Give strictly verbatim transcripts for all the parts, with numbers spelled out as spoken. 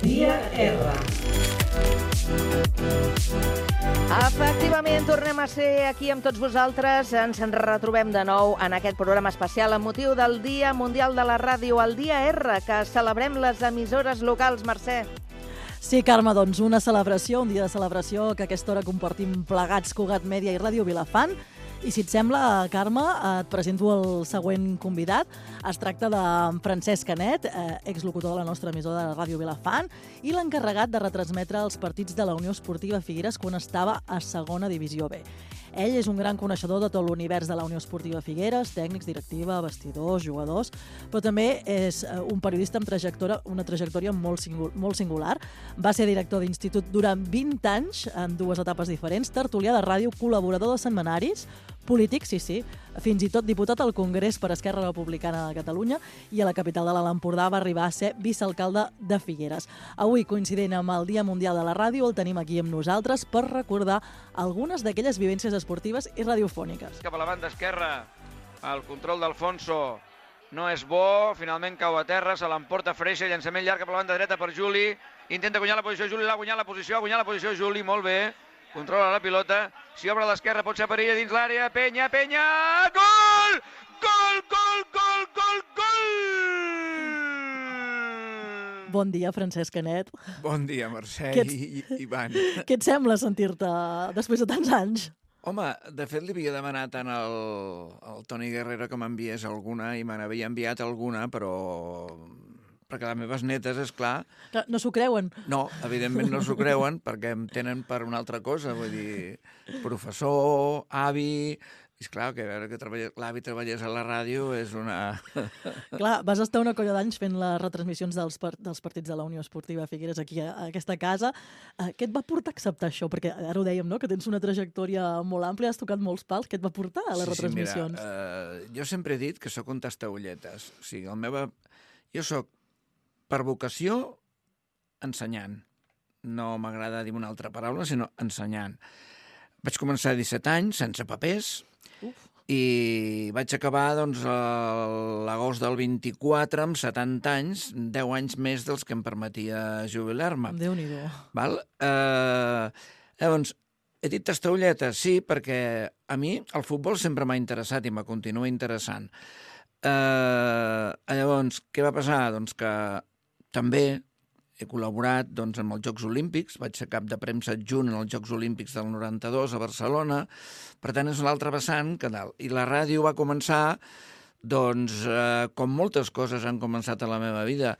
Dia R. Efectivament, tornem a ser aquí amb tots vosaltres. Ens en retrobem de nou en aquest programa especial amb motiu del Dia Mundial de la Ràdio, el Dia R, que celebrem les emissores locals, Mercè. Sí, Carme, doncs una celebració, un dia de celebració que a aquesta hora compartim plegats Cugat Mèdia i Ràdio Vilafant. I si et sembla, Carme, et presento el següent convidat. Es tracta de Francesc Canet, eh, exlocutor de la nostra emissora de Ràdio Vilafant i l'encarregat de retransmetre els partits de la Unió Esportiva Figueres quan estava a segona divisió B. Ell és un gran coneixedor de tot l'univers de la Unió Esportiva Figueres, tècnics, directiva, vestidors, jugadors, però també és un periodista amb trajectòria, una trajectòria molt, singular, molt singular. Va ser director d'institut durant vint anys, en dues etapes diferents, tertulià de ràdio, col·laborador de setmanaris, polític, sí, sí, fins i tot diputat al Congrés per Esquerra Republicana de Catalunya i a la capital de l'Alt Empordà va arribar a ser vicealcalde de Figueres. Avui, coincidint amb el Dia Mundial de la Ràdio, el tenim aquí amb nosaltres per recordar algunes d'aquelles vivències esportives i radiofòniques. Cap a la banda esquerra, el control d'Alfonso no és bo, finalment cau a terra, se l'emporta Freixa, llançament llarg cap a la banda dreta per Juli, intenta guanyar la posició Juli, l'ha guanyat la posició, ha guanyat la posició Juli, molt bé. Controla la pilota, si obre a l'esquerra pot ser perilla dins l'àrea, Penya, Penya, gol! Gol, gol, gol, gol, gol! Bon dia, Francesc Canet. Bon dia, Mercè Què ets... i, i Ivan. Què et sembla sentir-te després de tants anys? Home, de fet li havia demanat tant al, al Toni Guerrero que m'enviés alguna i me n'havia enviat alguna, però... perquè les meves netes, és clar... No s'ho creuen? No, evidentment no s'ho creuen, perquè em tenen per una altra cosa, vull dir, professor, avi... És clar, que a veure que l'avi treballés a la ràdio és una... Clar, vas estar una colla d'anys fent les retransmissions dels, par dels partits de la Unió Esportiva Figueres aquí a, a aquesta casa. Uh, què et va portar a acceptar això? Perquè ara ho dèiem, no?, que tens una trajectòria molt àmplia, has tocat molts pals. Què et va portar a les sí, retransmissions? Sí, mira, uh, jo sempre he dit que sóc un tastaulletes. O sigui, el meu... Jo sóc per vocació, ensenyant. No m'agrada dir una altra paraula, sinó ensenyant. Vaig començar a disset anys, sense papers, Uf. i vaig acabar doncs, l'agost del vint-i-quatre, amb setanta anys, deu anys més dels que em permetia jubilar-me. Déu-n'hi-do. Val? Eh, llavors, he dit tastaulletes, sí, perquè a mi el futbol sempre m'ha interessat i me continua interessant. Eh, llavors, què va passar? Doncs que també he col·laborat doncs, amb els Jocs Olímpics, vaig ser cap de premsa adjunt en els Jocs Olímpics del noranta-dos a Barcelona, per tant és l'altre vessant que dalt. I la ràdio va començar, doncs, eh, com moltes coses han començat a la meva vida,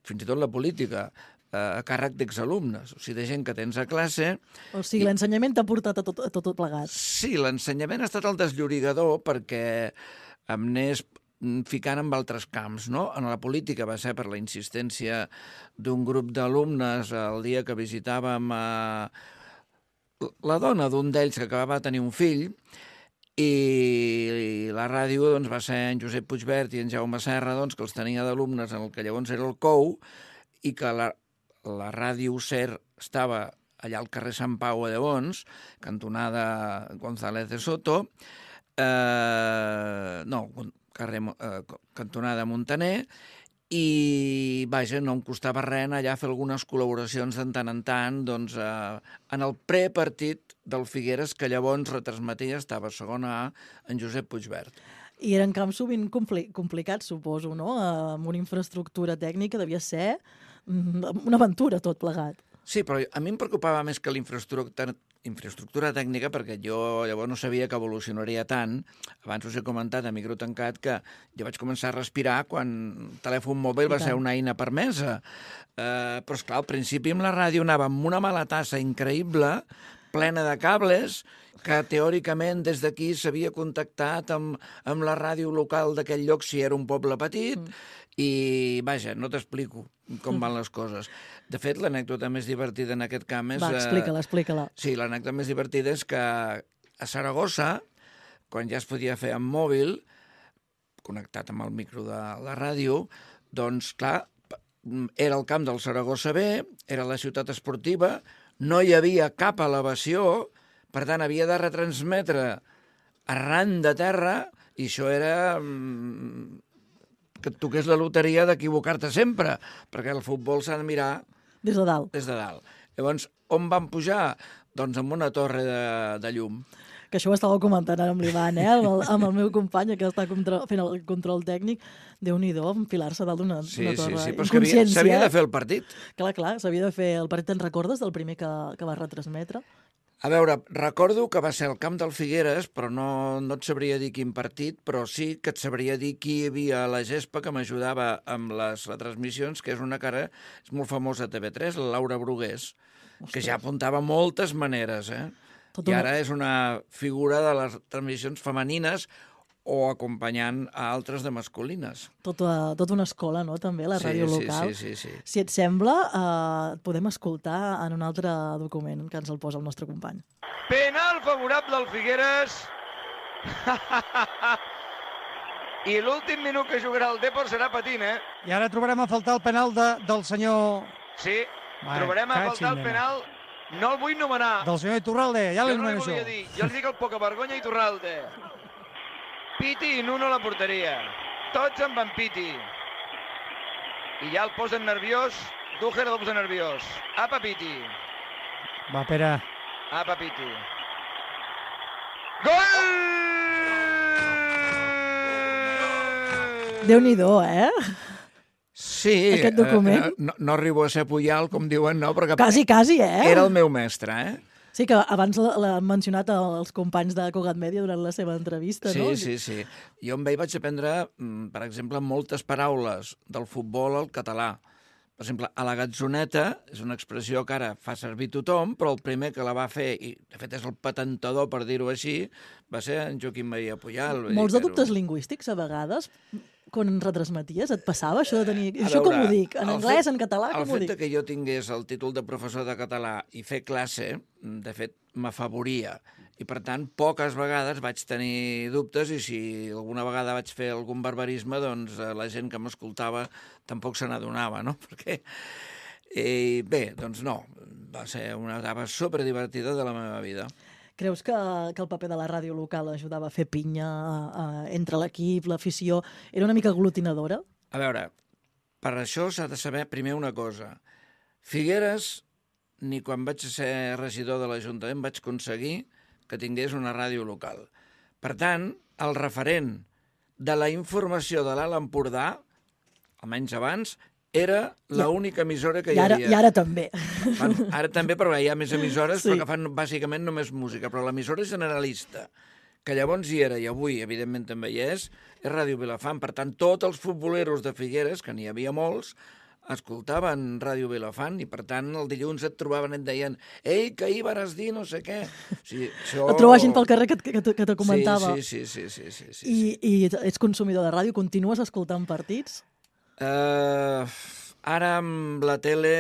fins i tot la política, eh, a càrrec d'exalumnes, o sigui, de gent que tens a classe... O sigui, l'ensenyament t'ha portat a tot, a tot plegat. Sí, l'ensenyament ha estat el desllorigador perquè em n'és ficant amb altres camps, no? En la política va ser per la insistència d'un grup d'alumnes el dia que visitàvem a la dona d'un d'ells que acabava de tenir un fill i la ràdio doncs, va ser en Josep Puigvert i en Jaume Serra, doncs, que els tenia d'alumnes en el que llavors era el C O U i que la, la ràdio SER estava allà al carrer Sant Pau a Llavors, cantonada González de Soto, eh, no, carrer, eh, cantonada Montaner, i, vaja, no em costava res anar allà a fer algunes col·laboracions de tant en tant, doncs, eh, en el prepartit del Figueres, que llavors retransmetia, estava a segona A, en Josep Puigvert. I eren camps sovint compli complicats, suposo, no? Amb una infraestructura tècnica devia ser una aventura tot plegat. Sí, però a mi em preocupava més que la infraestructura, infraestructura tècnica, perquè jo llavors no sabia que evolucionaria tant. Abans us he comentat a micro tancat que jo vaig començar a respirar quan el telèfon mòbil va ser una eina permesa. Eh, però, esclar, al principi amb la ràdio anava amb una mala tassa increïble, plena de cables, que teòricament des d'aquí s'havia contactat amb, amb la ràdio local d'aquell lloc si era un poble petit, mm. i, vaja, no t'explico com van les coses. De fet, l'anècdota més divertida en aquest camp és... Va, explica-la, explica-la. Sí, l'anècdota més divertida és que a Saragossa, quan ja es podia fer amb mòbil, connectat amb el micro de la ràdio, doncs, clar, era el camp del Saragossa B, era la ciutat esportiva, no hi havia cap elevació, Per tant, havia de retransmetre arran de terra i això era mm, que et toqués la loteria d'equivocar-te sempre, perquè el futbol s'ha de mirar Des de dalt. des de dalt. Llavors, on van pujar? Doncs amb una torre de, de llum. Que això ho estava comentant ara amb l'Ivan, eh? amb, el, amb el meu company que està contra, fent el control tècnic. Déu-n'hi-do, enfilar-se dalt d'una Sí, torre. sí, sí, però és que havia- s'havia de fer el partit. Clar, clar, s'havia de fer el partit. Te'n recordes del primer que, que va retransmetre? A veure, recordo que va ser el camp del Figueres, però no, no et sabria dir quin partit, però sí que et sabria dir qui hi havia a la gespa que m'ajudava amb les retransmissions, que és una cara, és molt famosa a T V tres, la Laura Brugués, que ja apuntava moltes maneres, eh? Tot I una- ara és una figura de les transmissions femenines o acompanyant a altres de masculines. Tota, tota una escola, no?, també, la Sí, ràdio sí, local. sí, sí, sí. Si et sembla, eh, et podem escoltar en un altre document que ens el posa el nostre company. Penal favorable al Figueres. I l'últim minut que jugarà el Depor serà patint, eh? I ara trobarem a faltar el penal de, del senyor... Sí, Vai, trobarem a cachis, faltar el nena. penal. No el vull nomenar. Del senyor Iturralde, ja Jo li no li anomeno volia això. dir. Jo li dic el poca vergonya i Iturralde. Piti i Nuno a la porteria. Tots amb en Piti. I ja el posen nerviós. Dúger el posa nerviós. Apa Piti. Va, Pere. Apa Piti. Gol! Déu-n'hi-do, eh? Sí, Aquest document. eh, no, no arribo a ser Puyal, com diuen, no, perquè Quasi, quasi, eh? era el meu mestre, eh? Sí, que abans l'ha- l'han mencionat els companys de Cugat Mèdia durant la seva entrevista, Sí, no? sí, sí. Jo amb ell vaig aprendre, mm, per exemple, moltes paraules del futbol al català. Per exemple, a la gatzoneta és una expressió que ara fa servir tothom, però el primer que la va fer, i de fet és el patentador, per dir-ho així, va ser en Joaquim Maria Puyal. Vull Molts dir de que era dubtes un- lingüístics, a vegades, quan retransmeties, et passava això de tenir... A Això com veure, ho dic? En el anglès, fet- en català, El com ho fet de dic? que jo tingués el títol de professor de català i fer classe, de fet, m'afavoria. I, per tant, poques vegades vaig tenir dubtes i si alguna vegada vaig fer algun barbarisme, doncs eh, la gent que m'escoltava tampoc se n'adonava, no? Perquè... I bé, doncs no, va ser una etapa superdivertida de la meva vida. Creus que, que el paper de la ràdio local ajudava a fer pinya eh, entre l'equip, l'afició? Era una mica aglutinadora? A veure, per això s'ha de saber primer una cosa. Figueres, ni quan vaig ser regidor de l'Ajuntament vaig aconseguir que tingués una ràdio local. Per tant, el referent de la informació de l'Alt Empordà, almenys abans, era l'única emissora que I hi ara, havia. I ara també. Bueno, ara també, però hi ha més emissores, Sí. sí. però que fan bàsicament només música. Però l'emissora generalista, que llavors hi era, i avui, evidentment, també hi és, és Ràdio Vilafant. Per tant, tots els futboleros de Figueres, que n'hi havia molts, escoltaven Ràdio Vilafant i, per tant, el dilluns et trobaven i et deien «Ei, que ahir vas dir no sé què». O sigui, això... Et trobava gent pel carrer que, que, que te comentava. Sí, sí, sí, sí, sí, sí, sí. I, I ets consumidor de ràdio? Continues escoltant partits? Uh, ara amb la tele...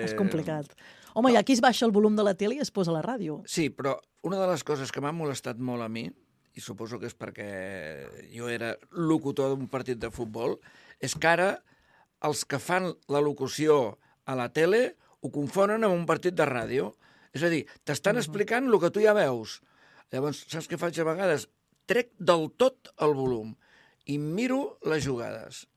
És complicat. Home, i aquí es baixa el volum de la tele i es posa la ràdio. Sí, però una de les coses que m'ha molestat molt a mi, i suposo que és perquè jo era locutor d'un partit de futbol, és que ara els que fan la locució a la tele ho confonen amb un partit de ràdio. És a dir, t'estan explicant el que tu ja veus. Llavors, saps què faig a vegades? Trec del tot el volum i miro les jugades.